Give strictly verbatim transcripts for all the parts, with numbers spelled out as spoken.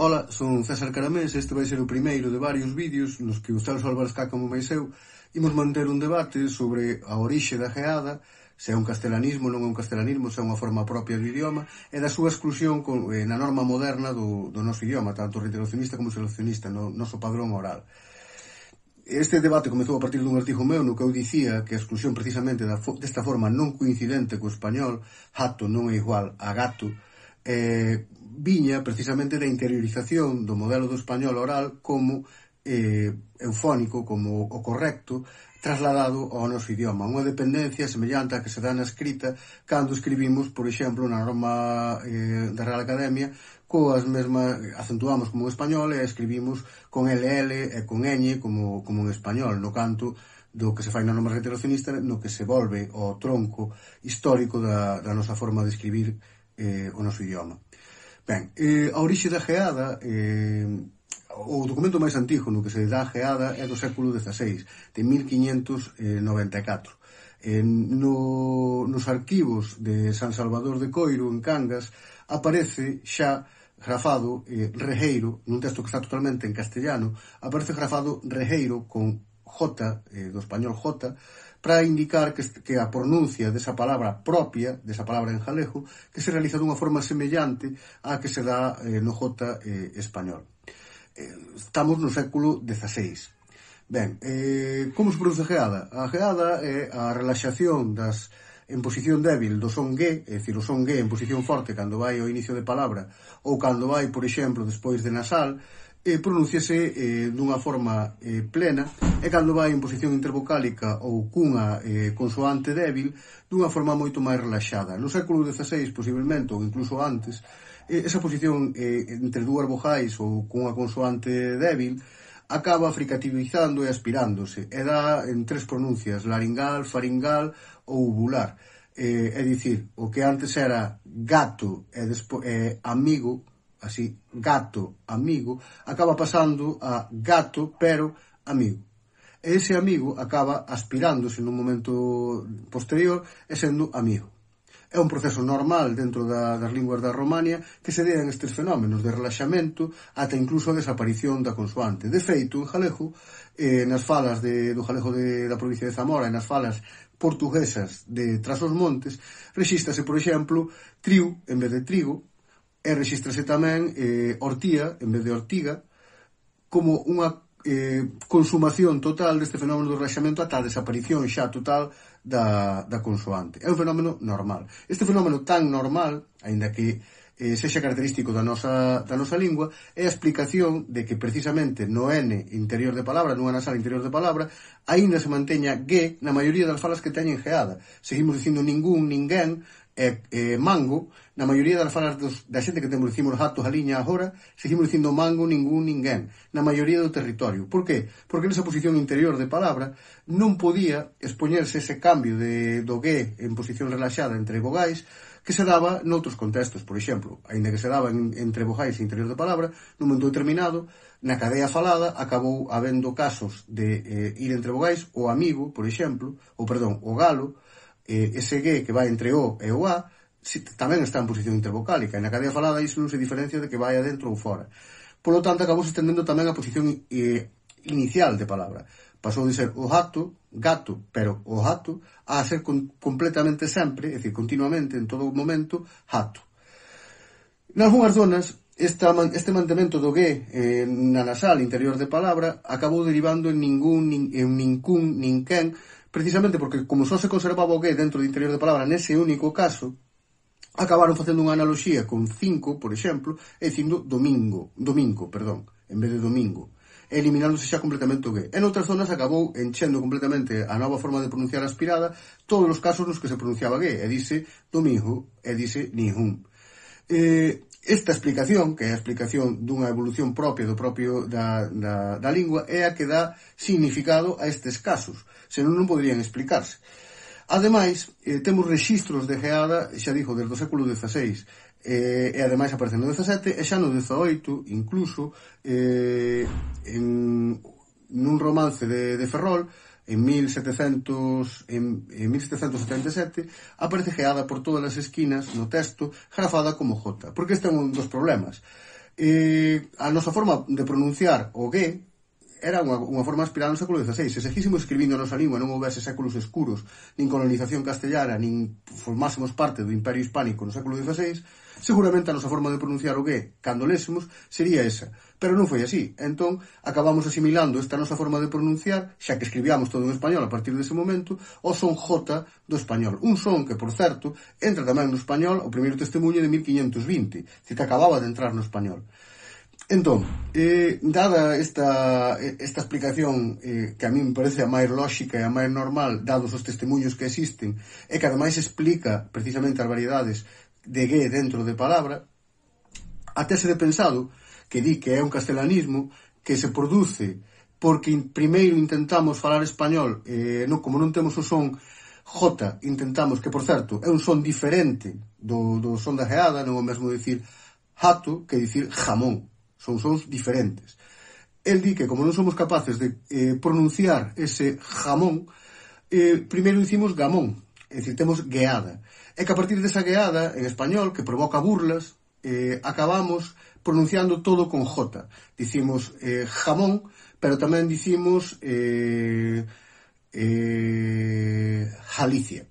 Ola, son César Caramés e este vai ser o primeiro de varios vídeos nos que o Celso Álvarez Cá como máis eu imos manter un debate sobre a orixe da geada, se é un castelanismo, non é un castelanismo, se é unha forma propia do idioma e da súa exclusión con, eh, na norma moderna do, do noso idioma, tanto reiteracionista como seleccionista, no noso padrón oral. Este debate comezou a partir dun artigo meu no que eu dicía que a exclusión precisamente da, desta forma non coincidente co español, hato non é igual a gato, eh, viña precisamente da interiorización do modelo do español oral como eh, eufónico, como o correcto, trasladado ao noso idioma. Unha dependencia semellante a que se dá na escrita cando escribimos, por exemplo, na norma eh, da Real Academia, coas mesmas, acentuamos como en español e escribimos con L L e con ñ como, como en español, no canto do que se fai na norma reiteracionista, no que se volve ao tronco histórico da, da nosa forma de escribir eh, o noso idioma. Ben, eh, a orixe da geada, eh, o documento máis antigo no que se dá a geada é do século dezaseis, de mil quiñentos noventa e catro. Eh, no, nos arquivos de San Salvador de Coiro, en Cangas, aparece xa grafado eh, Rejeiro, nun texto que está totalmente en castellano, aparece grafado Rejeiro con J, eh, do español J, para indicar que, que a pronuncia desa palabra propia, desa palabra en galego, que se realiza dunha forma semellante á que se dá eh, no J eh, español. Eh, estamos no século dezaseis. Ben, eh, como se produce a geada? A geada é a relaxación das en posición débil do son G, é dicir, o son G en posición forte cando vai ao inicio de palabra ou cando vai, por exemplo, despois de nasal, e pronúnciase eh, dunha forma eh, plena e cando vai en posición intervocálica ou cunha eh, consoante débil dunha forma moito máis relaxada. No século dezaseis, posiblemente, ou incluso antes, eh, esa posición eh, entre dúas vogais ou cunha consoante débil acaba fricativizando e aspirándose e dá en tres pronuncias, laringal, faringal ou uvular. Eh, é dicir, o que antes era gato e despo, eh, amigo, así, gato, amigo, acaba pasando a gato, pero amigo. E ese amigo acaba aspirándose nun momento posterior e sendo amigo. É un proceso normal dentro da, das linguas da Romania que se dean estes fenómenos de relaxamento ata incluso a desaparición da consoante. De feito, en galego, eh, nas falas de, do galego de, da provincia de Zamora e nas falas portuguesas de Trás-os-Montes, rexístrase, por exemplo, triu en vez de trigo, e rexístrase tamén eh, ortía en vez de ortiga, como unha eh, consumación total deste fenómeno do relaxamento ata a desaparición xa total da, da consoante. É un fenómeno normal. Este fenómeno tan normal, aínda que eh, sexa característico da nosa, da nosa lingua, é a explicación de que precisamente no N interior de palabra, nunha nasal interior de palabra, aínda se manteña G na maioría das falas que teñen geada. Seguimos dicindo ningún, ninguén, e eh, mango, na maioría das falas dos, da xente que temos dicimos gato, galiña agora, seguimos dicindo mango, ningún, ninguén, na maioría do territorio. Por qué? Porque nesa posición interior de palabra non podía expoñerse ese cambio de, do G en posición relaxada entre vogais que se daba noutros contextos. Por exemplo, aínda que se daba en, entre vogais e interior de palabra, nun momento determinado, na cadea falada acabou habendo casos de eh, ir entre vogais, o amigo, por exemplo, ou perdón, o galo, eh, ese G que vai entre o e o a, si, tamén está en posición intervocálica, e na cadea falada iso non se diferencia de que vai adentro ou fora. Por lo tanto, acabou se estendendo tamén a posición eh, inicial de palabra. Pasou de ser o gato, gato, pero o gato, a ser con, completamente sempre, é dicir, continuamente, en todo momento, gato. Nalgúnas zonas, esta, este mantemento do G eh, na nasal interior de palabra acabou derivando en ningún, nin, en nincún, ninquén, precisamente porque como só se conservaba o G dentro do interior de palabra nese único caso, acabaron facendo unha analoxía con cinco, por exemplo, e dicindo domingo, domingo, perdón, en vez de domingo, eliminándose xa completamente o G. En outras zonas acabou enchendo completamente a nova forma de pronunciar aspirada todos os casos nos que se pronunciaba G, e dice domingo, e dice nihun. Eh, esta explicación, que é a explicación dunha evolución propia do propio da, da, da lingua, é a que dá significado a estes casos, senón non poderían explicarse. Ademais, eh, temos rexistros de geada, xa dixo, desde o século dezaseis, eh, e ademais aparece no dezasete, e xa no dezaoito, incluso, eh, en nun romance de, de Ferrol, en mil setecentos, en, en mil setecentos setenta e sete, aparece geada por todas as esquinas no texto, grafada como J. Porque este é un dos problemas. Eh, a nosa forma de pronunciar o G era unha, unha forma inspirada no século dieciséis. Se seguísemos escribindo a nosa lingua non houvese séculos escuros, nin colonización castellana, nin formásemos parte do Imperio Hispánico no século dieciséis, seguramente a nosa forma de pronunciar o G, cando lésemos, sería esa. Pero non foi así. Entón, acabamos asimilando esta nosa forma de pronunciar, xa que escribíamos todo en español a partir dese momento, o son J do español. Un son que, por certo, entra tamén no español o primeiro testemunho de mil quinhentos vinte, que acababa de entrar no español. Entón, eh, dada esta, esta explicación eh, que a mí me parece a máis lóxica e a máis normal, dados os testemunhos que existen, e que ademais explica precisamente as variedades de G dentro de palabra, a tese de pensado, que di que é un castelanismo que se produce porque primeiro intentamos falar español, eh, no, como non temos o son J, intentamos, que por certo é un son diferente do, do son da geada, non é o mesmo dicir jato que dicir jamón. Son sons diferentes. El di que, como non somos capaces de eh, pronunciar ese jamón, eh, primeiro dicimos gamón, é dicir, temos gueada. E que a partir desa gueada, en español, que provoca burlas, eh, acabamos pronunciando todo con J. Dicimos eh, jamón, pero tamén dicimos eh, eh, Jalicia.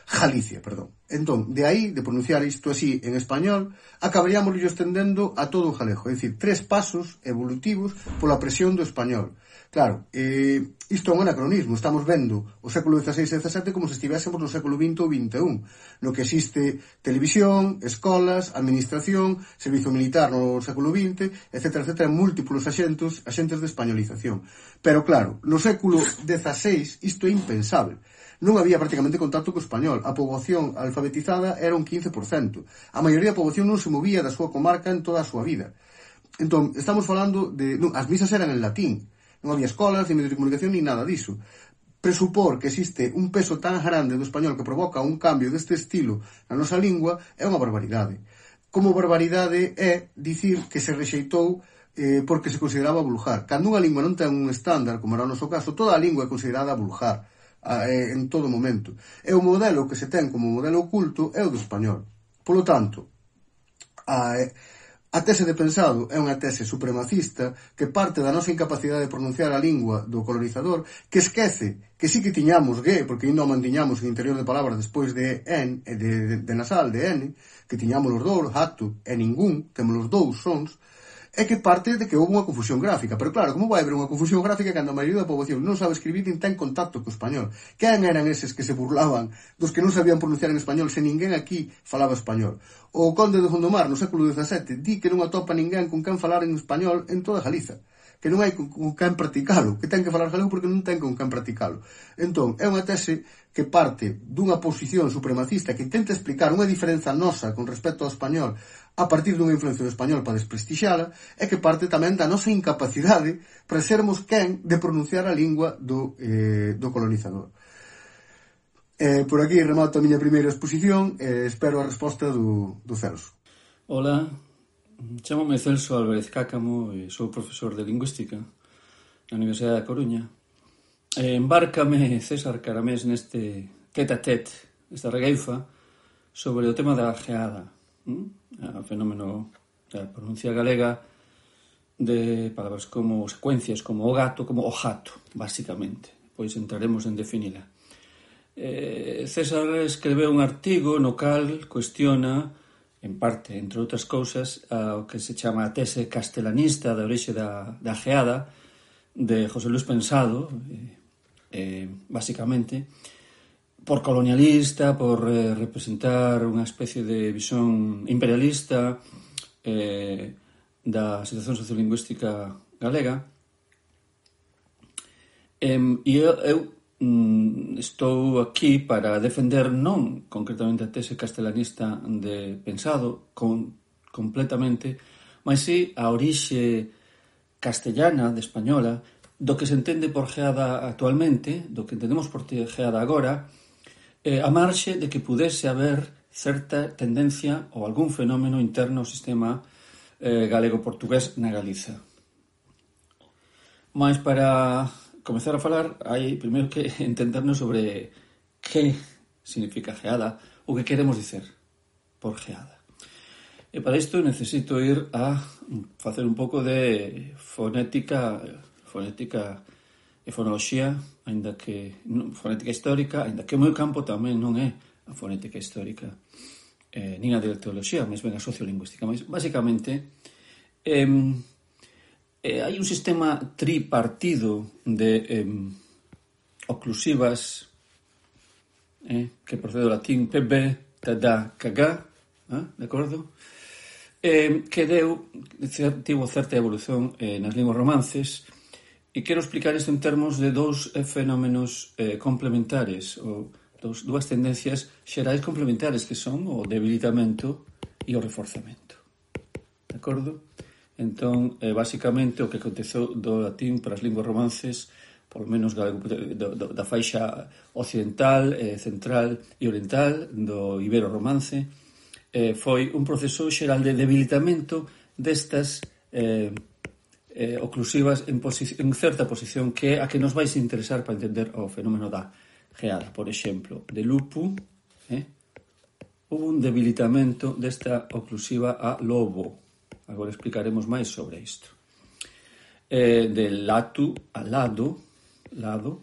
Galicia, perdón. Entón, de aí, de pronunciar isto así en español, acabaríamos estendendo a todo o galego. É dicir, tres pasos evolutivos pola presión do español. Claro, eh, isto é un anacronismo. Estamos vendo o século dieciséis e dezasete como se estivésemos no século vinte ou vinte e un, no que existe televisión, escolas, administración, servizo militar no século vinte, etcétera, etcétera, múltiplos axentes, axentes de españolización. Pero claro, no século dezaseis isto é impensable. Non había prácticamente contacto co español. A poboación alfabetizada era un quince por cento. A maioría da poboación non se movía da súa comarca en toda a súa vida. Entón, estamos falando de... Non, as misas eran en latín. Non había escolas, ni medios de comunicación, ni nada diso. Presupor que existe un peso tan grande do español que provoca un cambio deste estilo na nosa lingua é unha barbaridade. Como barbaridade é dicir que se rexeitou eh, porque se consideraba vulgar. Cando unha lingua non ten un estándar, como era o noso caso, toda a lingua é considerada vulgar en todo momento. E o modelo que se ten como modelo oculto é o do español. Polo tanto, a, a tese de pensado é unha tese supremacista que parte da nosa incapacidade de pronunciar a lingua do colonizador, que esquece que sí que tiñamos G, porque ainda o mantiñamos en interior de palabras despois de N, de, de, de nasal, de N, que tiñamos os dous, jato e ningún, temos os dous sons, é que parte de que houve unha confusión gráfica. Pero claro, como vai haber unha confusión gráfica cando a maioría da poboación non sabe escribir nin ten contacto co español? Quen eran eses que se burlaban dos que non sabían pronunciar en español se ninguén aquí falaba español? O conde de Gondomar no século dezasete di que non atopa ninguén con quen falar en español en toda Galiza, que non hai con, con quen practicalo, que ten que falar galego porque non ten con quen practicalo. Entón, é unha tese que parte dunha posición supremacista que intenta explicar unha diferenza nosa con respecto ao español a partir dunha influencia do español para desprestixala, é que parte tamén da nosa incapacidade para sermos quen de pronunciar a lingua do, eh, do colonizador. Eh, por aquí remato a miña primeira exposición e eh, espero a resposta do, do Celso. Hola, chámome Celso Álvarez Cácamo e sou profesor de Lingüística na Universidade da Coruña. E embárcame César Caramés neste tete-a-tete, esta regueifa, sobre o tema da geada, o fenómeno da pronuncia galega de palabras como secuencias, como o gato, como o jato, basicamente. Pois entraremos en definila. Eh, César escreveu un artigo no cal cuestiona, en parte, entre outras cousas, o que se chama a tese castelanista da orixe da, da geada de José Luis Pensado, eh, eh, basicamente, por colonialista, por eh, representar unha especie de visión imperialista eh, da situación sociolingüística galega. Eh, e eu, eu mm, estou aquí para defender non concretamente a tese castelanista de Pensado con, completamente, mas sí a orixe castellana, de española, do que se entende por geada actualmente, do que entendemos por geada agora, eh, a marxe de que pudese haber certa tendencia ou algún fenómeno interno ao sistema eh, galego-portugués na Galiza. Mas para comezar a falar, hai primeiro que entendernos sobre que significa geada ou que queremos dicer por geada. E para isto necesito ir a facer un pouco de fonética, fonética e fonoloxía, aínda que fonética histórica, aínda que o meu campo tamén non é a fonética histórica, eh, nin a dialectoloxía, mas ben a sociolingüística. Mas, basicamente, eh, eh, hai un sistema tripartido de eh, oclusivas eh, que procede do latín P B, tada, cagá, eh, de acordo? Eh, que deu, tivo certa evolución eh, nas linguas romances, e quero explicar isto en termos de dous eh, fenómenos eh, complementares, ou dos, dúas tendencias xerais complementares, que son o debilitamento e o reforzamento. De acordo? Entón, eh, basicamente, o que aconteceu do latín para as linguas romances, por lo menos da, da, da faixa occidental, eh, central e oriental do ibero-romance, Eh, foi un proceso xeral de debilitamento destas eh, eh, oclusivas en, en certa posición, que é a que nos vais interesar para entender o fenómeno da geada. Por exemplo, de lupu, eh, houve un debilitamento desta oclusiva a lobo. Agora explicaremos máis sobre isto. Eh, de latu a lado, lado,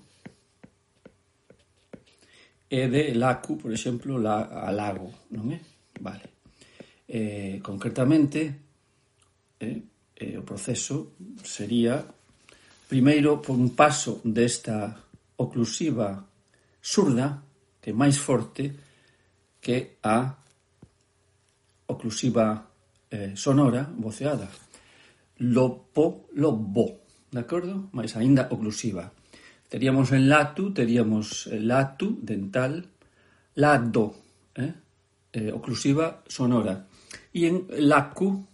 e de lacu, por exemplo, la, a lago, non é? Vale. Eh, concretamente, eh, eh, o proceso sería, primeiro, por un paso desta oclusiva surda, que é máis forte que a oclusiva eh, sonora, voceada. Lopo, lobo, de acordo? Mais aínda oclusiva. Teríamos en latu, teríamos latu, dental, lado, eh? Eh, oclusiva sonora, e en lacu,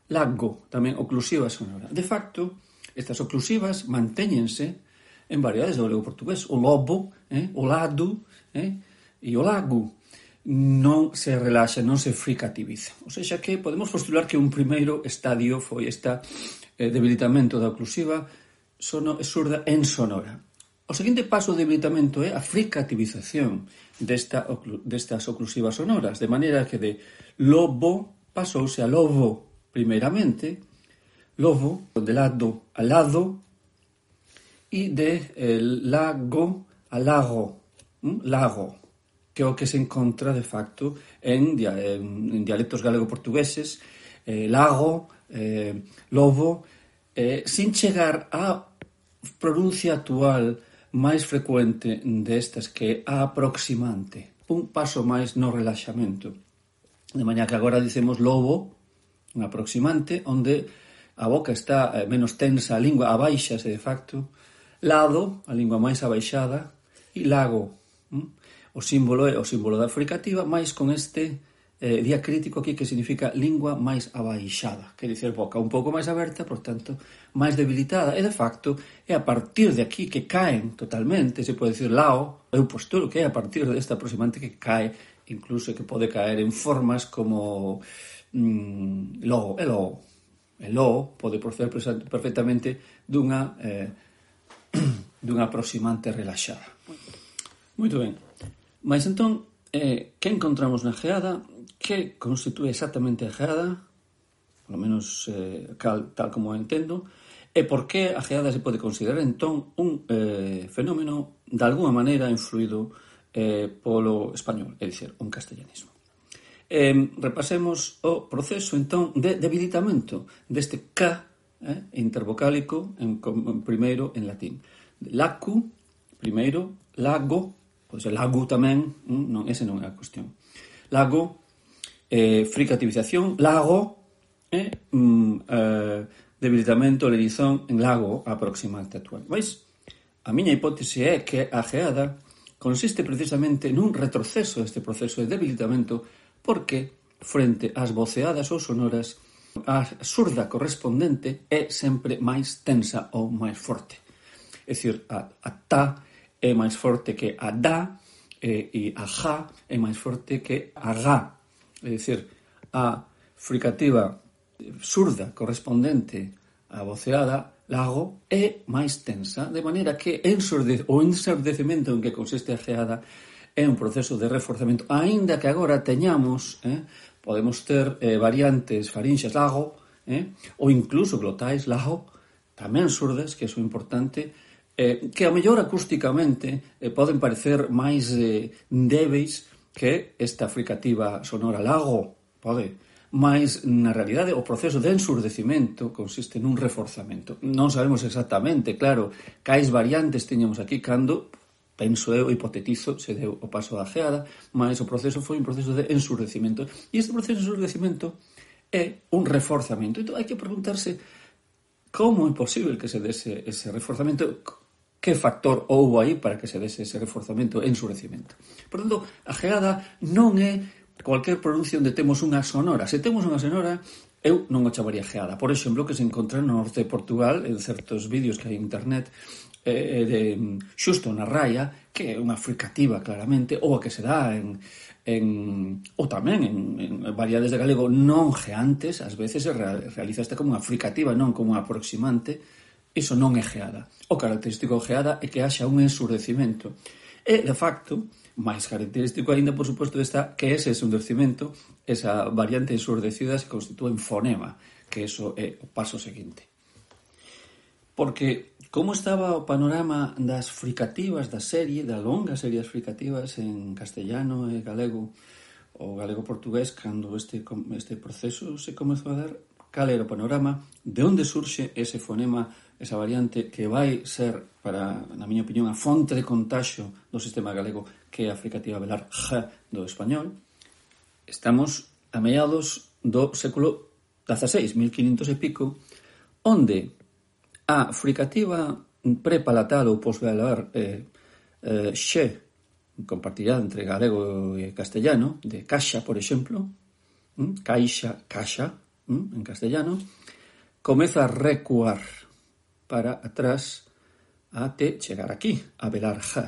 lago, tamén oclusiva sonora. De facto, estas oclusivas mantéñense en variedades do galego portugués. O lobo, eh, o lado, eh, e o lago non se relaxa, non se fricativiza. O seja que podemos postular que un primeiro estadio foi esta eh, debilitamento da oclusiva sono, surda en sonora. O seguinte paso de debilitamento é a fricativización desta, destas oclusivas sonoras, de maneira que de lobo pasouse a lobo primeiramente, lobo de lado a lado, e de eh, lago a lago, hm? lago, que é o que se encontra de facto en, en, en dialectos galego-portugueses, eh, lago, eh, lobo, eh, sin chegar á pronuncia actual máis frecuente destas, que é a aproximante, un paso máis no relaxamento. De maneira que agora dicemos lobo, un aproximante, onde a boca está menos tensa, a lingua abaixase de facto, lado, a lingua máis abaixada, e lago, o símbolo é o símbolo da fricativa, máis con este eh, diacrítico aquí, que significa lingua máis abaixada, quer dizer, boca un pouco máis aberta, por tanto, máis debilitada, e de facto é a partir de aquí que caen totalmente, se pode dicir lao, eu postulo que é a partir desta aproximante que cae, incluso que pode caer en formas como mm, lo, e lo, e lo pode proceder perfectamente dunha eh, dunha aproximante relaxada. Moito ben. Mas entón, eh, que encontramos na geada? Que constitúe exactamente a geada, polo menos eh, cal, tal como entendo, e por que a geada se pode considerar entón un eh, fenómeno de alguma maneira influído eh, polo español, é dicir, un castellanismo. Eh, repasemos o proceso entón de debilitamento deste K eh, intervocálico en, en primeiro en latín. Lacu, primeiro, lago, pode ser lago tamén, non, ese non é a cuestión. Lago, eh, fricativización, lago, eh, mm, eh, debilitamento, lerizón en lago aproximante actual. Vais? A miña hipótese é que a geada consiste precisamente nun retroceso deste proceso de debilitamento, porque frente ás voceadas ou sonoras, a surda correspondente é sempre máis tensa ou máis forte. É dicir, a, a ta é máis forte que a da, e, e a ja é máis forte que a ga. É dicir, a fricativa surda correspondente á voceada lago é máis tensa, de maneira que ensurde, o ensurdecemento en que consiste a geada é un proceso de reforzamento, aínda que agora teñamos eh, podemos ter eh, variantes farinxas lago, eh, ou incluso glotais lago, tamén surdas, que é importante, eh, que a mellor acústicamente eh, poden parecer máis eh, débeis que esta fricativa sonora lago, pode, mas na realidade o proceso de ensurdecimento consiste nun reforzamento. Non sabemos exactamente, claro, cais variantes tiñamos aquí cando, penso eu, hipotetizo, se deu o paso da geada, mas o proceso foi un proceso de ensurdecimento. E este proceso de ensurdecimento é un reforzamento. Entón, hai que preguntarse como é posible que se dese ese reforzamento, que factor houbo aí para que se dese ese reforzamento e ensurecimento. Por tanto, a geada non é cualquier pronuncio onde temos unha sonora. Se temos unha sonora, eu non o chamaría geada. Por exemplo, que se encontra no norte de Portugal, en certos vídeos que hai en internet, eh, de xusto na raia, que é unha fricativa claramente, ou a que se dá en, en ou tamén en, en variedades de galego non geantes, ás veces se realiza esta como unha fricativa, non como unha aproximante. Iso non é geada. O característico de geada é que haxa un ensurdecimento. E, de facto, máis característico aínda, por suposto, está que ese ensurdecimento, esa variante ensurdecida, se constitúe en fonema, que eso é o paso seguinte. Porque como estaba o panorama das fricativas da serie, da longa serie das fricativas en castellano e galego, o galego-portugués, cando este, este proceso se comezou a dar, cal era o panorama, de onde surxe ese fonema, esa variante que vai ser, para, na miña opinión, a fonte de contaxio do sistema galego, que é a fricativa velar G do español. Estamos a mediados do século dieciséis, mil quinhentos e pico, onde a fricativa prepalatal ou posvelar eh, eh, xe, compartida entre galego e castellano, de caixa, por exemplo, hm? caixa, caixa, hm? en castellano, comeza a recuar para atrás até chegar aquí, a velar G.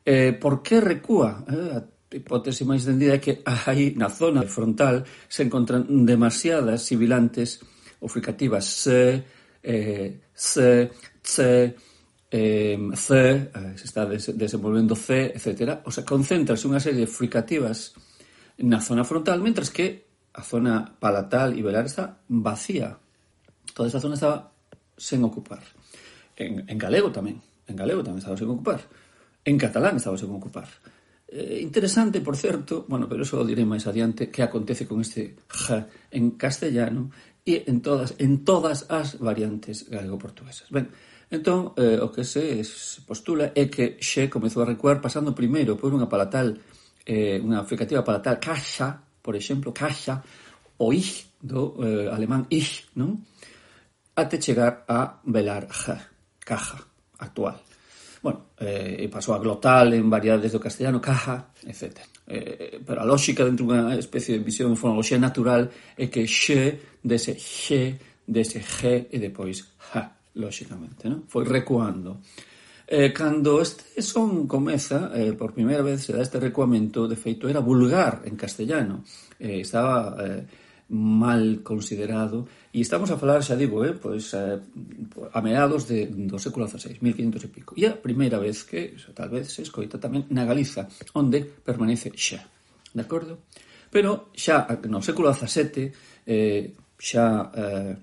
Eh, por que recúa? Eh, a hipótese máis tendida é que aí, na zona frontal, se encontran demasiadas sibilantes ou fricativas se, eh, se, che, eh, ce, eh, se está des- desenvolvendo ce, etcétera. O sea, concéntrase unha serie de fricativas na zona frontal, mentras que a zona palatal e velar está vacía. Toda esa zona estaba sen ocupar. En, en galego tamén. En galego tamén estaba sen ocupar. En catalán estaba sen ocupar. Eh, interesante, por certo, bueno, pero eso o direi máis adiante, que acontece con este G en castellano e en todas en todas as variantes galego-portuguesas. Ben, entón, eh, o que se, se postula é que xe comezou a recuar pasando primeiro por unha palatal, eh, unha fricativa palatal caixa, por exemplo, caixa, o ich do eh, alemán ich, non? Até chegar a velar G, caja, actual. Bueno, eh, pasou a glotal en variedades do castellano, caja, etcétera. Eh, pero a lógica dentro dunha especie de visión de fonoloxía natural é que xe, dese xe, dese G e depois H, lógicamente, non? Foi recuando. Eh, cando este son comeza, eh, por primeira vez se dá este recuamento, de feito era vulgar en castellano. Eh, estaba eh, mal considerado, e estamos a falar, xa digo, eh, pois, eh, a meados de, do século dieciséis, mil quinhentos e pico. E a primeira vez que, tal vez, se escoita tamén na Galiza, onde permanece xa. De acordo? Pero xa no século dezasete, eh, xa eh,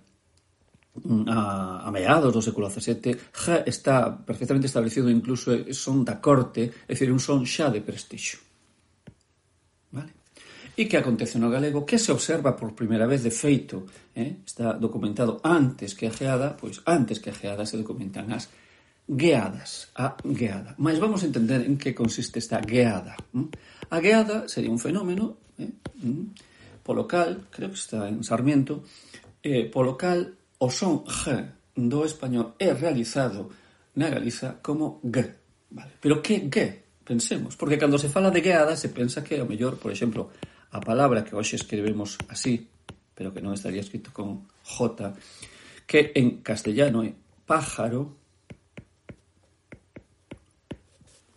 a, a meados do século dezasete, xa está perfectamente establecido, incluso son da corte, é dicir, un son xa de prestixio. Vale? E que acontece no galego, que se observa por primeira vez de feito, eh? Está documentado antes que a geada, pois antes que a geada se documentan as gueadas, a gueada. Mas vamos a entender en que consiste esta gueada. ¿Mm? A gueada sería un fenómeno, eh? ¿Mm? Polo cal, creo que está en Sarmiento, eh, polo cal o son G do español é realizado na Galiza como G. Vale. Pero que G? Pensemos, porque cando se fala de gueada se pensa que, ao mellor, por exemplo, a palabra que hoxe escribimos así, pero que non estaría escrito con J, que en castellano é pájaro,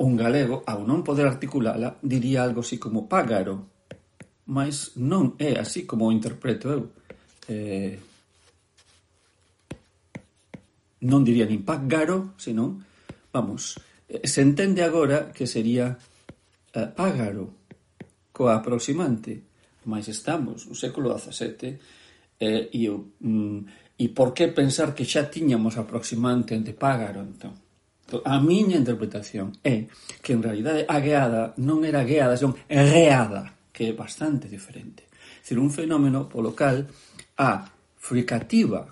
un galego, ao non poder articulala, diría algo así como págaro, mas non é así como o interpreto eu. Eh, non diría nin págaro, senón, vamos, se entende agora que sería eh, págaro, coa aproximante, mais estamos no século dezasete, eh, e, mm, e por que pensar que xa tiñamos aproximante entre págaro, entón? A miña interpretación é que en realidade a gueada non era gueada, senón reada, que é bastante diferente. É dicir, un fenómeno polo cal a fricativa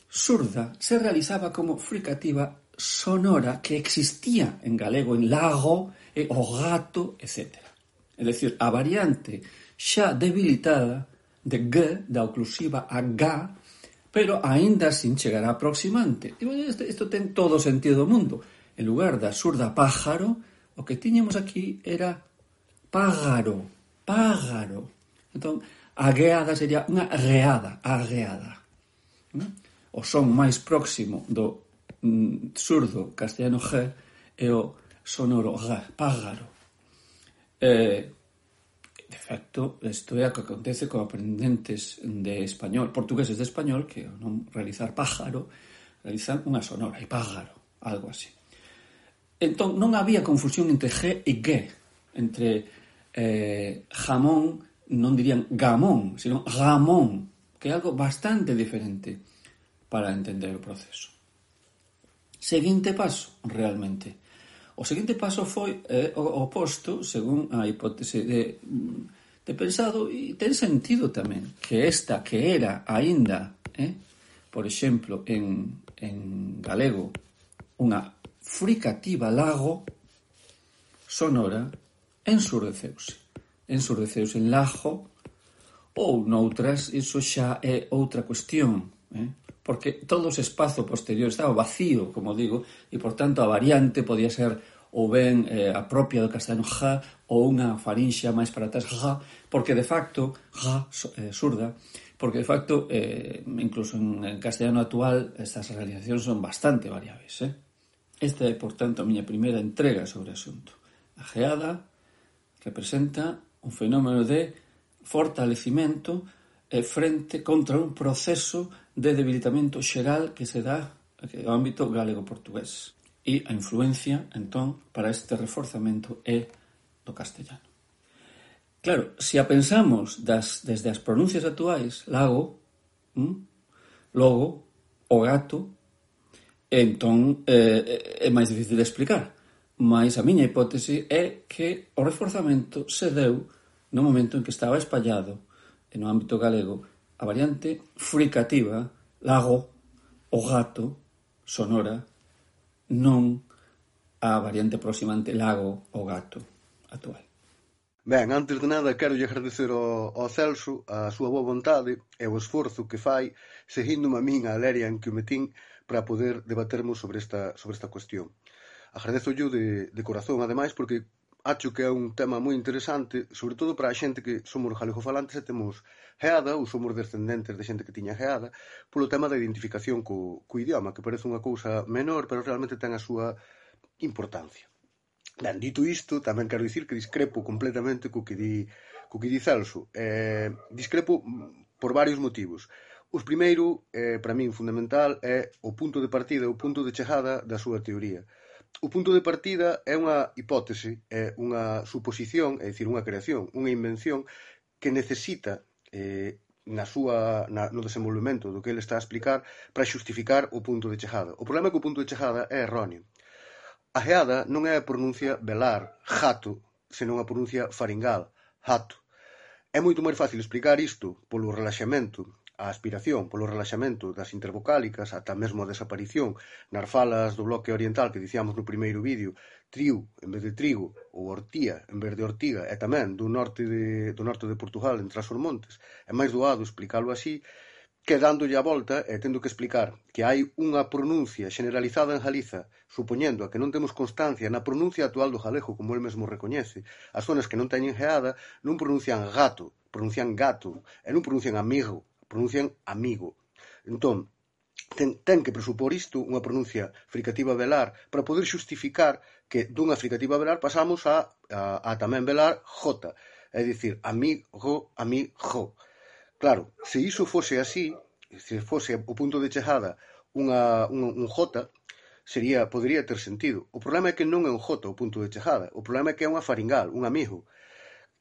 surda se realizaba como fricativa sonora que existía en galego, en lago, e o gato, etcétera. É dicir, a variante xa debilitada de G, da oclusiva a G, pero aínda sin chegar a aproximante. E, bueno, isto, isto ten todo o sentido do mundo. En lugar da surda pájaro, o que tiñamos aquí era págaro, págaro. Entón, a gueada sería unha reada, a gueada. O son máis próximo do mm, surdo castellano G é o sonoro G, págaro. Eh, de facto, isto é o que acontece con aprendentes de español, portugueses de español, que ao non realizar pájaro, realizan unha sonora, e págaro, algo así. Entón, non había confusión entre G e G, entre eh, jamón, non dirían gamón, sino gamón, que é algo bastante diferente para entender o proceso. Seguinte paso, realmente. O seguinte paso foi eh, o oposto, según a hipótese de, de pensado, e ten sentido tamén, que esta que era aínda, eh, por exemplo, en, en galego, unha fricativa lago sonora, ensurdeceuse. Ensurdeceuse en lago, ou noutras, iso xa é outra cuestión, eh? Porque todo ese espazo posterior estaba vacío, como digo, e, por tanto, a variante podía ser ou ben eh, a propia do castellano ja, ou unha farinxea máis para atrás ja, porque, de facto, ja, eh, surda, porque, de facto, eh, incluso en, en castellano actual, estas realizacións son bastante variables, eh? Esta é, por tanto, a miña primeira entrega sobre o asunto. A geada representa un fenómeno de fortalecimento eh, frente contra un proceso de debilitamento xeral que se dá no ámbito galego-portugués. E a influencia, entón, para este reforzamento é do castellano. Claro, se a pensamos das, desde as pronuncias actuais, lago, hm, logo, o gato, entón eh, é máis difícil de explicar. Mas a miña hipótese é que o reforzamento se deu no momento en que estaba espallado no ámbito galego a variante fricativa, lago, o gato, sonora, non a variante aproximante lago, o gato, actual. Ben, antes de nada, quero lle agradecer ao, ao Celso a súa boa vontade e o esforzo que fai seguindo-me a min a leria en que o metín para poder debatermos sobre esta, sobre esta cuestión. Agradezo yo de, de corazón, ademais, porque acho que é un tema moi interesante, sobre todo para a xente que somos galegofalantes e temos geada, ou somos descendentes de xente que tiña geada, polo tema da identificación co, co idioma, que parece unha cousa menor, pero realmente ten a súa importancia. Ben, dito isto, tamén quero dicir que discrepo completamente co que di, co que di Celso. Eh, discrepo por varios motivos. Os primeiro, eh, para min fundamental, é o punto de partida, o punto de chegada da súa teoría. O punto de partida é unha hipótese, é unha suposición, é dicir, unha creación, unha invención que necesita eh, na súa, na, no desenvolvemento do que ele está a explicar para xustificar o punto de chegada. O problema é que o punto de chegada é erróneo. A geada non é a pronuncia velar, jato, senón a pronuncia faringal, jato. É moito máis fácil explicar isto polo relaxamento, a aspiración, polo relaxamento das intervocálicas, ata mesmo a desaparición nas falas do bloque oriental que dicíamos no primeiro vídeo, triu en vez de trigo, ou ortía en vez de ortiga, e tamén do norte de, do norte de Portugal, entre as Montes. É máis doado explicalo así, que dándolle a volta e tendo que explicar que hai unha pronuncia generalizada en Galiza, supoñendo a que non temos constancia na pronuncia actual do galego, como el mesmo recoñece. As zonas que non teñen geada non pronuncian gato, pronuncian gato, e non pronuncian amigo, pronuncian amigo. Entón, ten, ten que presupor isto unha pronuncia fricativa velar para poder xustificar que dunha fricativa velar pasamos a, a, a tamén velar jota, é dicir, amigo, amigo. Claro, se iso fose así, se fose o punto de chegada unha, un, un jota, sería, podería ter sentido. O problema é que non é un jota o punto de chegada, o problema é que é unha faringal, un amigo.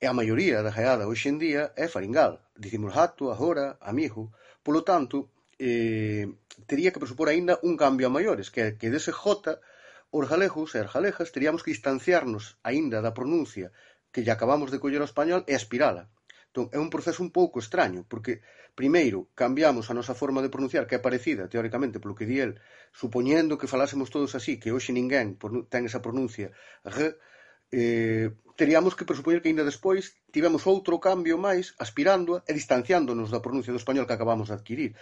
E a maioría da geada hoxe en día é faringal. Dicimos hato, agora, amigo. Polo tanto, eh, tería que presupor aínda un cambio a maiores, que é que dese J, os galegos e as galegas teríamos que distanciarnos aínda da pronuncia que lle acabamos de coller ao español e aspirala. Entón, é un proceso un pouco extraño, porque primeiro cambiamos a nosa forma de pronunciar, que é parecida, teóricamente, polo que di el, supoñendo que falásemos todos así, que hoxe ninguén ten esa pronuncia G, eh, teríamos que presupoñer que ainda despois tivemos outro cambio máis aspirándoa e distanciándonos da pronuncia do español que acabamos de adquirir.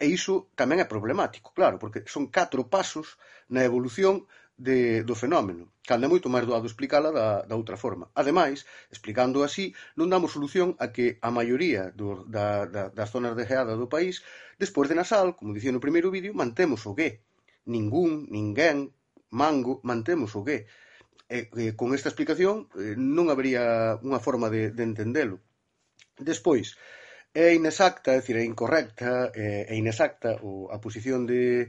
E iso tamén é problemático, claro, porque son catro pasos na evolución de, do fenómeno, cando é moito máis doado explicala da, da outra forma. Ademais, explicando así, non damos solución a que a maioría do, da, da, das zonas de geada do país, despois de nasal, como dicía no primeiro vídeo, mantemos o G. Ningún, ninguén, mango, mantemos o G. E, e con esta explicación eh, non habería unha forma de, de entendelo. Despois, é inexacta, é dicir, é incorrecta, é, é inexacta o, a posición de,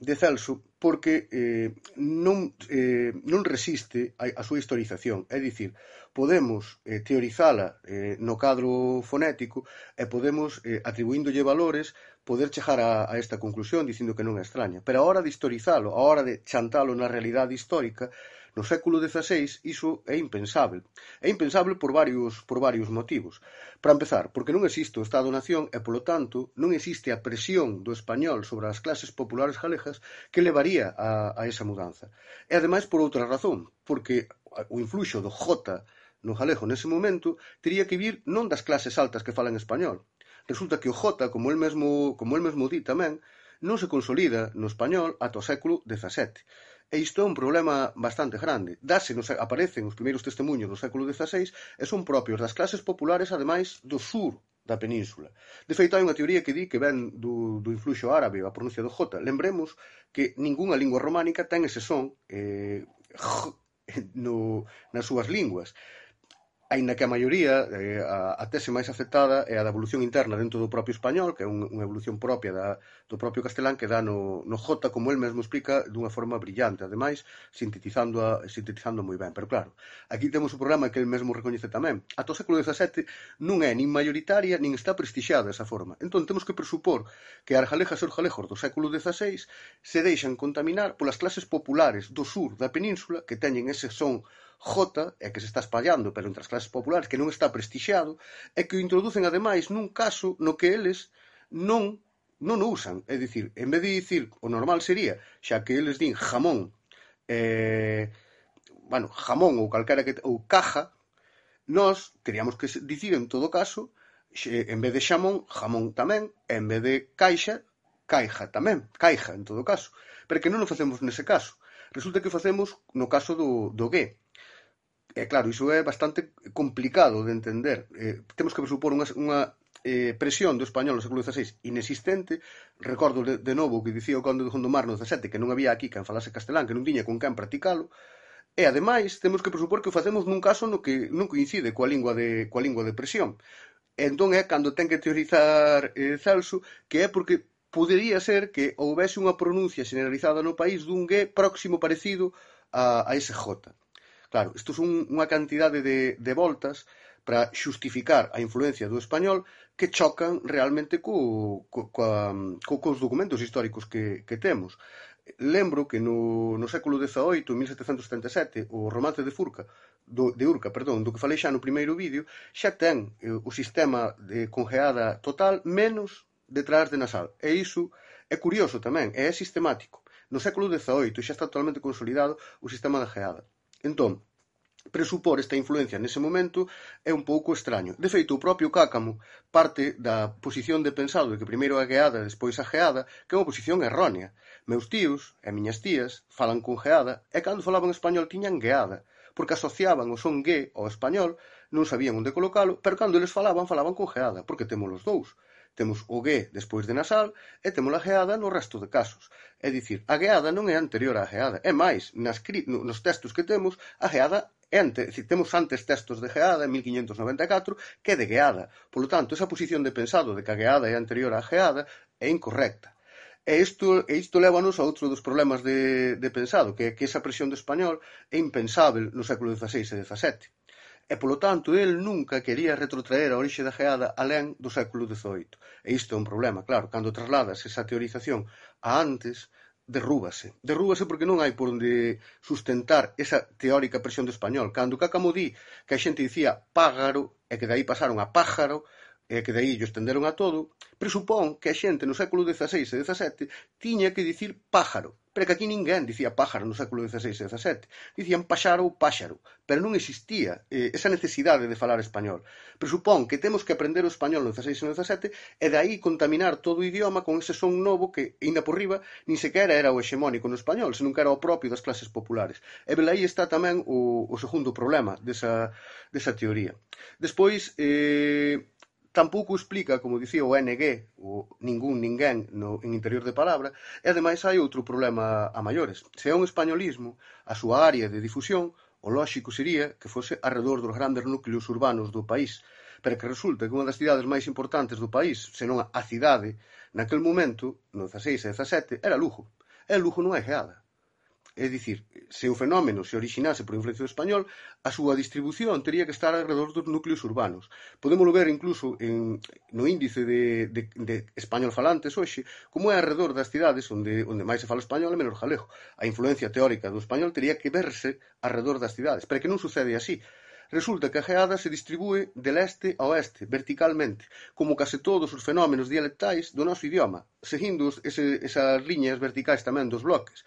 de Celso porque eh, non, eh, non resiste a, a súa historización. É dicir, podemos eh, teorizala eh, no cadro fonético e podemos, eh, atribuíndolle valores, poder chegar a, a esta conclusión dicindo que non é extraña. Pero a hora de historizalo, a hora de chantalo na realidade histórica, no século dezaseis iso é impensável. É impensável por varios, por varios motivos. Para empezar, porque non existe o Estado-nación e, polo tanto, non existe a presión do español sobre as clases populares galegas que levaría a, a esa mudanza. E, ademais, por outra razón, porque o influxo do J no galego nese momento tería que vir non das clases altas que falan español. Resulta que o J, como el mesmo, como el mesmo di tamén, non se consolida no español ata o século dezasete. E isto é un problema bastante grande. Dase, nos, aparecen os primeiros testemunhos do século dezaseis e son propios das clases populares, ademais, do sur da península. De feito, hai unha teoría que di que ven do, do influxo árabe, a pronuncia do J. Lembremos que ningunha lingua románica ten ese son eh, no, nas súas linguas. Aínda que a maioría, eh, a, a tese máis aceptada é a da evolución interna dentro do propio español, que é un, unha evolución propia da, do propio castelán que dá no, no J, como el mesmo explica, dunha forma brillante, ademais, sintetizando, a, sintetizando moi ben. Pero claro, aquí temos o programa que el mesmo recoñece tamén. Ata o século dezasete non é nin maioritaria, nin está prestixiada esa forma. Entón temos que presupor que as galegas e os galegos do século dezaseis se deixan contaminar polas clases populares do sur da península que teñen ese son J, e que se está espallando pero entre as clases populares, que non está prestixiado, e que o introducen ademais nun caso no que eles non, non o usan. É dicir, en vez de dicir, o normal sería, xa que eles din jamón, eh, bueno, jamón ou calquera que, ou caja, nós teríamos que dicir en todo caso, en vez de xamón, jamón tamén, e en vez de caixa, caixa tamén, caixa en todo caso. Pero que non o facemos nese caso. Resulta que o facemos no caso do, do G. E claro, iso é bastante complicado de entender. Eh, temos que presupor unha, unha eh, presión do español no século dezaseis inexistente. Recordo de, de novo que dicía o conde de Gondomar no dezasete que non había aquí quen falase castelán, que non tiña con quen practicalo. E, ademais, temos que presupor que o facemos nun caso no que non coincide coa lingua de, coa lingua de presión. E entón é cando ten que teorizar eh, Celso, que é porque podería ser que houvese unha pronuncia generalizada no país dun G próximo parecido a, a ese J. Claro, isto son unha cantidade de, de voltas para xustificar a influencia do español que chocan realmente co, co, coa, co, cos documentos históricos que, que temos. Lembro que no, no século dezaoito, en mil setecentos setenta e sete, o romance de Furca, do, de Urca, perdón, do que falei xa no primeiro vídeo, xa ten eh, o sistema de congeada total menos detrás de nasal. E iso é curioso tamén, e é sistemático. No século dezaoito xa está totalmente consolidado o sistema da geada. Entón, presupor esta influencia nese momento é un pouco extraño. De feito, o propio Cácamo parte da posición de pensado de que primeiro a geada e despois a geada, que é unha posición errónea. Meus tíos e miñas tías falan con geada e cando falaban español tiñan geada, porque asociaban o son G ao español, non sabían onde colocalo, pero cando eles falaban, falaban con geada, porque temos os dous. Temos o G despois de nasal e temos a geada no resto de casos. É dicir, a geada non é anterior á geada. É máis, nas, nos textos que temos, a geada é antes, decir, temos antes textos de geada en mil quinhentos noventa e catro que de geada. Por lo tanto, esa posición de pensado de que a geada é anterior á geada é incorrecta. E isto, e isto lévanos a outro dos problemas de, de pensado, que é que esa presión do español é impensável no século dezaseis e dezasete. E, polo tanto, el nunca quería retrotraer a orixe da geada alén do século dezoito. E isto é un problema, claro, cando trasladas esa teorización a antes, derrúbase. Derrúbase porque non hai por onde sustentar esa teórica presión do español. Cando Cáccamo di que a xente dicía págaro e que dai pasaron a pájaro, e que dai ello estenderon a todo, presupón que a xente no século dezaseis e dezasete tiña que dicir pájaro, pero que aquí ninguén dicía pájaro no século dezaseis e dezasete, dicían paxaro ou páxaro, pero non existía eh, esa necesidade de falar español. Presupón que temos que aprender o español no dezaseis e no dezasete e de aí contaminar todo o idioma con ese son novo que, ainda por riba, nin sequera era o hexemónico no español, senón que era o propio das clases populares. E velaí está tamén o, o segundo problema desa, desa teoría. Despois, eh, tampouco explica, como dicía o N G, o ningún, ninguén, no, en interior de palabra, e ademais hai outro problema a maiores. Se é un españolismo, a súa área de difusión, o lóxico sería que fose arredor dos grandes núcleos urbanos do país, pero que resulta que unha das cidades máis importantes do país, senón a cidade, naquel momento, no dezaseis e dezasete, era Lugo. E Lugo non é geada. É dicir, se o fenómeno se orixinase por influencia do español, a súa distribución tería que estar alrededor dos núcleos urbanos. Podémolo ver incluso en, no índice de, de, de español falantes hoxe, como é alrededor das cidades onde, onde máis se fala español e menos galego. A influencia teórica do español tería que verse alrededor das cidades, pero que non sucede así. Resulta que a geada se distribúe de leste a oeste, verticalmente, como case todos os fenómenos dialectais do noso idioma, seguindo ese, esas liñas verticais tamén dos bloques.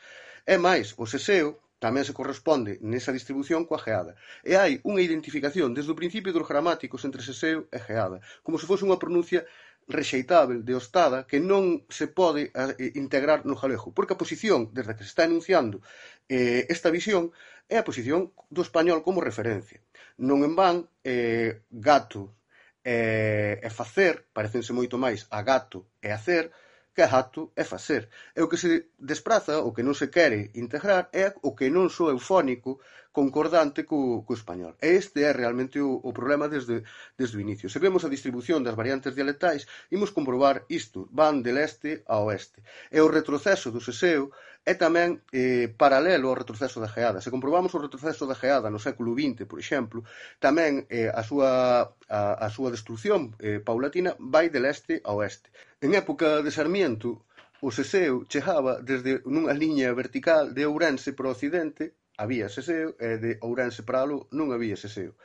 É máis, o seseo tamén se corresponde nesa distribución coa geada. E hai unha identificación desde o principio dos gramáticos entre seseo e geada, como se fose unha pronuncia rexeitável, deostada, que non se pode eh, integrar no galego, porque a posición, desde que se está enunciando eh, esta visión, é a posición do español como referencia. Non en van, eh, gato e, e facer, parecense moito máis a gato e hacer, que é gato é facer. E o que se despraza, o que non se quere integrar, é o que non soa eufónico concordante co, co español. E este é realmente o, o problema desde, desde o inicio. Se vemos a distribución das variantes dialectais, imos comprobar isto, van de leste a oeste. E o retroceso do seseo é tamén eh, paralelo ao retroceso da geada. Se comprobamos o retroceso da geada no século vinte, por exemplo, tamén eh, a, súa, a, a súa destrucción eh, paulatina vai de leste a oeste. En época de Sarmiento, o seseo chegaba desde nunha liña vertical de Ourense para o occidente, había seseo, e de Ourense para aló non había seseo.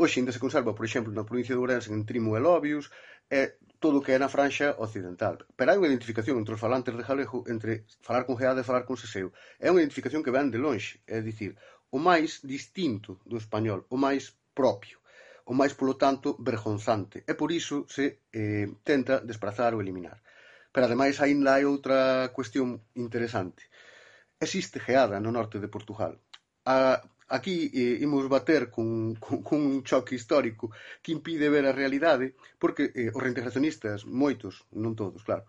Hoxe ainda se conserva, por exemplo, na provincia de Ourense, en Trimo e Lobios, e todo o que é na franxa occidental. Pero hai unha identificación entre os falantes de galego entre falar con geada e falar con seseo. É unha identificación que ven de lonxe, é dicir, o máis distinto do español, o máis propio, o máis, polo tanto, vergonzante. E por iso se eh, tenta desprazar ou eliminar. Pero, ademais, ainda hai outra cuestión interesante. Existe geada no norte de Portugal. A, aquí eh, imos bater con, con, con un choque histórico que impide ver a realidade, porque eh, os reintegracionistas, moitos, non todos, claro,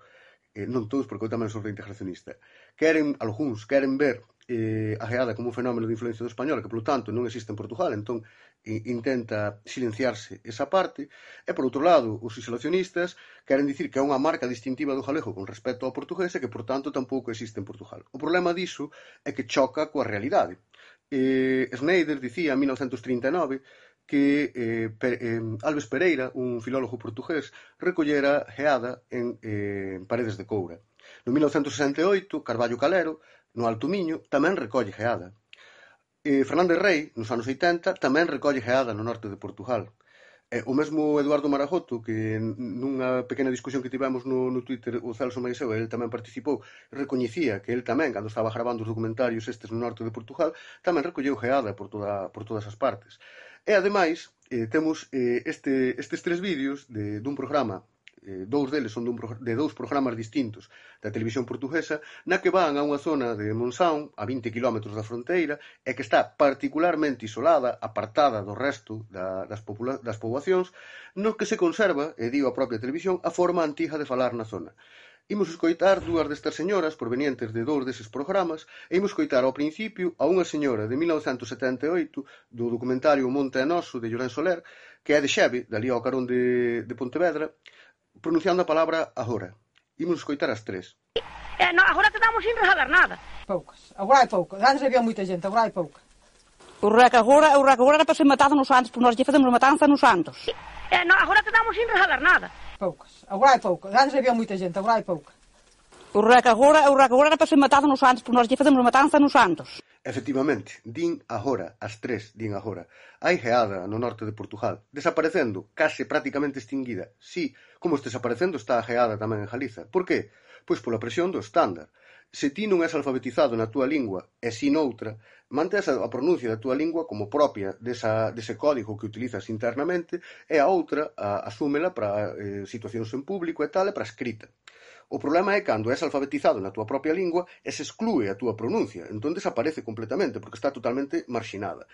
eh, non todos, porque eu tamén sou reintegracionista, queren, algúns, queren ver eh, a geada como un fenómeno de influencia do español, que, polo tanto, non existe en Portugal, entón eh, intenta silenciarse esa parte, e, por outro lado, os isolacionistas queren dicir que é unha marca distintiva do galego con respecto ao portugués e que, por tanto, tampouco existe en Portugal. O problema diso é que choca coa realidade. Eh, Schneider dicía en mil novecentos trinta e nove que eh, per, eh, Alves Pereira, un filólogo portugués, recollera geada en eh, Paredes de Coura. No mil novecentos sesenta e oito, Carballo Calero, no Alto Miño, tamén recolle geada. Eh, Fernández Rey, nos anos oitenta, tamén recolle geada no norte de Portugal. Eh, o mesmo Eduardo Marajoto, que nunha pequena discusión que tivemos no, no Twitter, o Celso Maiseu, ele tamén participou, recoñecía que ele tamén, cando estaba gravando os documentarios estes no norte de Portugal, tamén recolleu geada por, toda, por todas as partes. E, ademais, eh, temos eh, este, estes tres vídeos de, dun programa, eh, dous deles son dun, de dous programas distintos da televisión portuguesa, na que van a unha zona de Monção, a vinte kilómetros da fronteira, e que está particularmente isolada, apartada do resto da, das, popula- das poboacións, no que se conserva, e digo a propia televisión, a forma antiga de falar na zona. Imos escoitar dúas destas señoras provenientes de dous deses programas e imos escoitar ao principio a unha señora de mil novecentos setenta e oito do documentario Monte é Noso de Llorén Soler, que é de Xeve, dali ao carón de, de Pontevedra, pronunciando a palabra agora. Imos escoitar as tres. Eh, no, agora te damos sin saber nada. Poucas. Agora hai poucas. Antes había moita xente, agora hai pouca. O rec agora, o rec agora era para ser matado nos Santos, porque nós lle facemos matanza nos Santos. Eh, no, agora quedamos sin regalar nada. Poucas. Agora hai poucas. Antes había moita gente, agora hai pouca. O rec agora, o rec agora era para ser matado nos Santos, porque nós lle facemos matanza nos Santos. Efectivamente, din agora, as tres din agora. Hai geada no norte de Portugal, desaparecendo, case prácticamente extinguida. Sí, como este desaparecendo está a geada tamén en Galiza. Por qué? Pois pola presión do estándar. Se ti non és alfabetizado na túa lingua e si noutra, mantens a pronuncia da túa lingua como propia desa, dese código que utilizas internamente e a outra a, asúmela para eh, situacións en público e tal e para escrita. O problema é cando és alfabetizado na túa propia lingua e se exclúe a túa pronuncia, entón desaparece completamente porque está totalmente marxinada.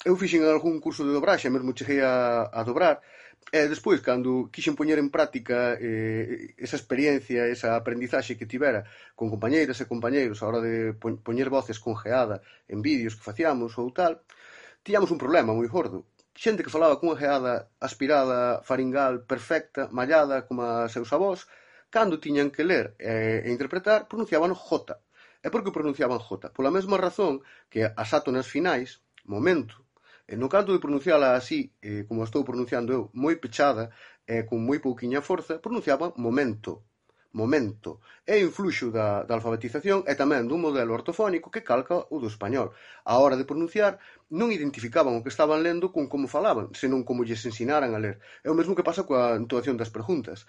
Eu fixen algún curso de dobraxe, mesmo cheguei a, a dobrar, e despois, cando quixen poñer en práctica eh, esa experiencia, esa aprendizaxe que tivera con compañeiras e compañeiros a hora de poñer voces con geada en vídeos que facíamos ou tal, tiñamos un problema moi gordo. Xente que falaba cunha geada aspirada, faringal, perfecta, mallada, como a seus avós, cando tiñan que ler e, e interpretar, pronunciaban J. E por que pronunciaban J? Pola mesma razón que as átonas finais, momento, e no canto de pronunciala así, eh, como estou pronunciando eu, moi pechada e con moi pouquiña forza, pronunciaban momento. Momento. É influxo da, da alfabetización e tamén dun modelo ortofónico que calca o do español. A hora de pronunciar, non identificaban o que estaban lendo con como falaban, senón como lles ensinaran a ler. É o mesmo que pasa coa entoación das preguntas.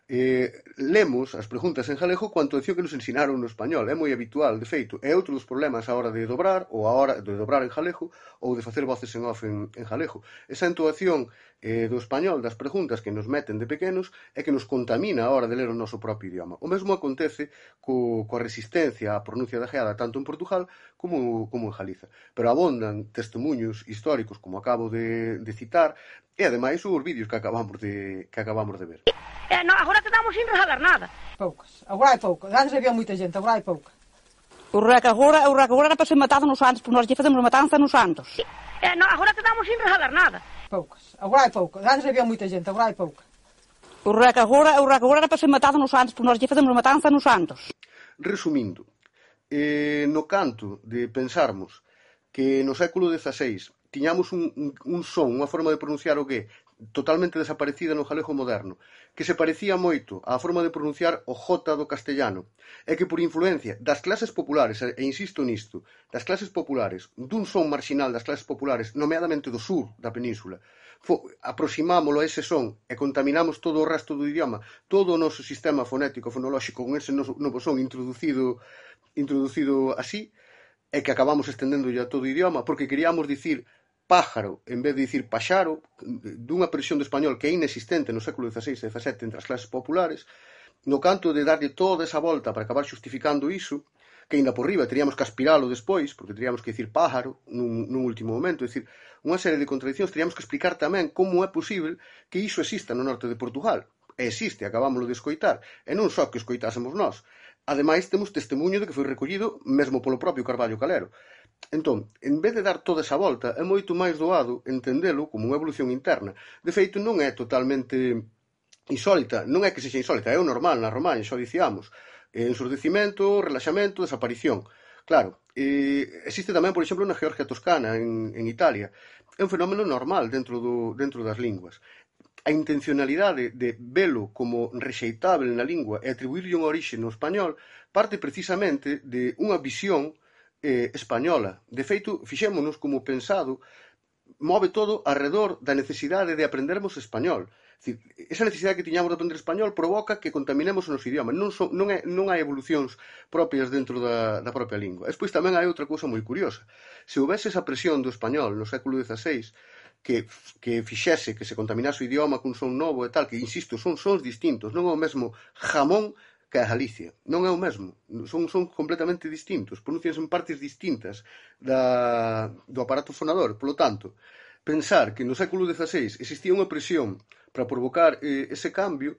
Eh, lemos as preguntas en galego coa entoación que nos ensinaron no español. É moi habitual, de feito. É outro dos problemas a hora de dobrar, ou a hora de dobrar en galego, ou de facer voces en off en, en galego. Esa entoación eh, do español das preguntas que nos meten de pequenos é que nos contamina a hora de ler o noso propio idioma. O mesmo acontece co, coa resistencia á pronuncia da geada tanto en Portugal como, como en Galiza. Pero abondan testemunhos históricos, como acabo de, de citar, e ademais os vídeos que acabamos de, que acabamos de ver. Eh, no, agora quedamos sin regalar nada. Poucas. Agora hai poucas. Antes había moita gente, agora hai pouca. O rec agora, o rec agora era para ser matado nos Santos, porque nós lle facemos matanza nos Santos. Eh, no, agora quedamos sin regalar nada. Poucas. Agora hai poucas. Antes había moita gente, agora hai pouca. O rec agora, o rec agora era para ser matado nos Santos, porque nós lle facemos matanza nos Santos. Resumindo, eh, no canto de pensarmos que no século dezaseis tiñamos un, un, un son, unha forma de pronunciar o que totalmente desaparecida no galego moderno, que se parecía moito á forma de pronunciar o J do castellano, e que por influencia das clases populares, e insisto nisto, das clases populares, dun son marxinal das clases populares, nomeadamente do sur da península, aproximámolo a ese son e contaminamos todo o resto do idioma, todo o noso sistema fonético, fonolóxico, con ese novo son introducido, introducido así, e que acabamos estendéndolle a todo o idioma, porque queríamos dicir pájaro, en vez de dicir paxaro, dunha presión do español que é inexistente no século dezaseis e dezasete entre as clases populares, no canto de darlle toda esa volta para acabar xustificando iso, que ainda por riba teríamos que aspiralo despois, porque teríamos que dicir pájaro nun, nun último momento, é dicir, unha serie de contradicións, teríamos que explicar tamén como é posible que iso exista no norte de Portugal. E existe, acabámoslo de escoitar, e non só que escoitásemos nós. Ademais, temos testemunho de que foi recollido mesmo polo propio Carballo Calero. Entón, en vez de dar toda esa volta, é moito máis doado entendelo como unha evolución interna. De feito, non é totalmente insólita, non é que sexa insólita, é o normal na Romaña, xa dicíamos. Ensurdecimento, relaxamento, desaparición. Claro, eh, existe tamén, por exemplo, na Georgia Toscana, en, en Italia. É un fenómeno normal dentro, do, dentro das linguas. A intencionalidade de velo como rexeitable na lingua e atribuirlle unha orixe no español parte precisamente de unha visión eh, española. De feito, fixémonos como pensado, move todo alrededor da necesidade de aprendermos español. Decir, esa necesidade que tiñamos de aprender español provoca que contaminemos o noso idioma. Non, son, non, é, non hai evolucións propias dentro da, da propia lingua. Despois tamén hai outra cousa moi curiosa. Se houvese esa presión do español no século dezaseis que, que fixese que se contaminase o idioma cun son novo e tal, que, insisto, son sons distintos. Non é o mesmo jamón que a Galicia. Non é o mesmo. Son, son completamente distintos. Pronuncianse en partes distintas da, do aparato fonador. Por lo tanto, pensar que no século dezaseis existía unha presión para provocar eh, ese cambio,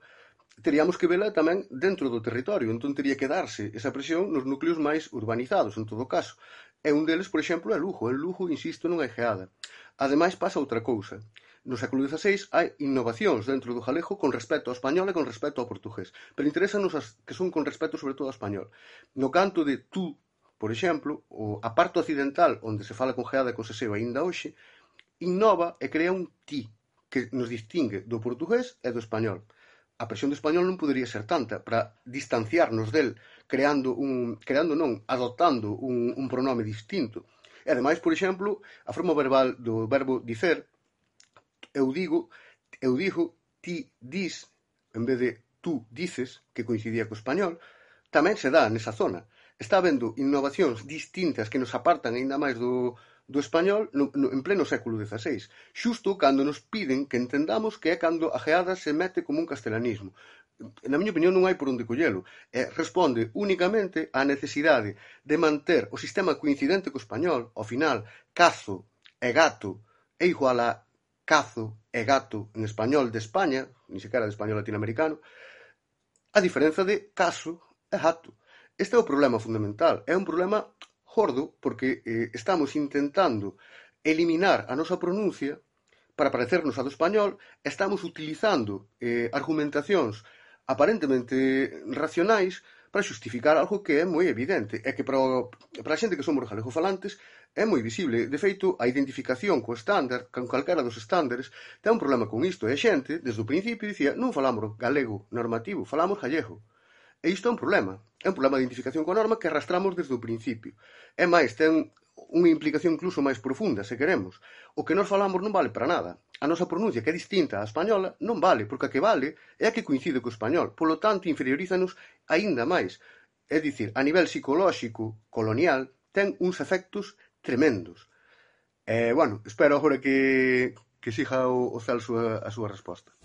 teríamos que vela tamén dentro do territorio. Entón, teria que darse esa presión nos núcleos máis urbanizados, en todo caso. E un deles, por exemplo, é Lugo. En Lugo, insisto, non hai geada. Ademais, pasa outra cousa. No século dezaseis hai innovacións dentro do galego con respecto ao español e con respecto ao portugués. Pero interesanos as que son con respecto sobre todo ao español. No canto de tú por exemplo, o, a parte occidental, onde se fala con geada e con seseo aínda hoxe, innova e crea un ti que nos distingue do portugués e do español. A presión do español non podería ser tanta para distanciarnos del, creando un, creando non, adoptando un, un pronome distinto. E ademais, por exemplo, a forma verbal do verbo dicer, eu digo, eu digo, ti dis, en vez de tú dices, que coincidía co español, tamén se dá nesa zona. Está habendo innovacións distintas que nos apartan aínda máis do, do español no, no, en pleno século dieciséis, xusto cando nos piden que entendamos que é cando a geada se mete como un castelanismo. Na miña opinión non hai por onde collelo. E responde únicamente á necesidade de manter o sistema coincidente co español. Ao final, cazo e gato é igual a cazo e gato en español de España, ni sequera de español latinoamericano, a diferenza de caso e gato. Este é o problema fundamental. É un problema gordo porque eh, estamos intentando eliminar a nosa pronuncia para parecernos a do español, estamos utilizando eh, argumentacións aparentemente racionais para xustificar algo que é moi evidente e que para, o, para a xente que somos galegofalantes é moi visible. De feito, a identificación co estándar, con calquera dos estándares, ten un problema con isto. E a xente, desde o principio, dicía non falamos galego normativo, falamos gallego. E isto é un problema. É un problema de identificación coa norma que arrastramos desde o principio. É máis, ten unha implicación incluso máis profunda, se queremos. O que nós falamos non vale para nada. A nosa pronuncia, que é distinta á española, non vale, porque a que vale é a que coincide co español. Polo tanto, inferiorízanos aínda máis. É dicir, a nivel psicolóxico, colonial, ten uns efectos tremendos. E, bueno, espero agora que, que siga o, o Celso a, a súa resposta.